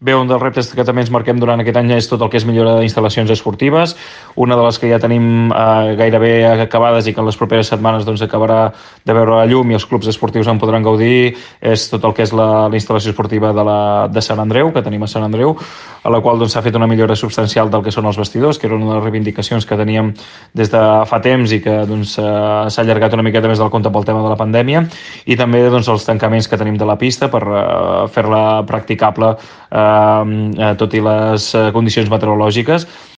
Bé, un dels reptes que també ens marquem durant aquest any és tot el que és millora d'instal·lacions esportives. Una de les que ja tenim gairebé acabades i que en les properes setmanes doncs, acabarà de veure la llum i els clubs esportius en podran gaudir és tot el que és la instal·lació esportiva de Sant Andreu, que tenim a Sant Andreu, a la qual s'ha fet una millora substancial del que són els vestidors, que era una de les reivindicacions que teníem des de fa temps i que s'ha allargat una miqueta més del compte pel tema de la pandèmia, i també els tancaments que tenim de la pista per fer-la practicable tot i les condicions meteorològiques.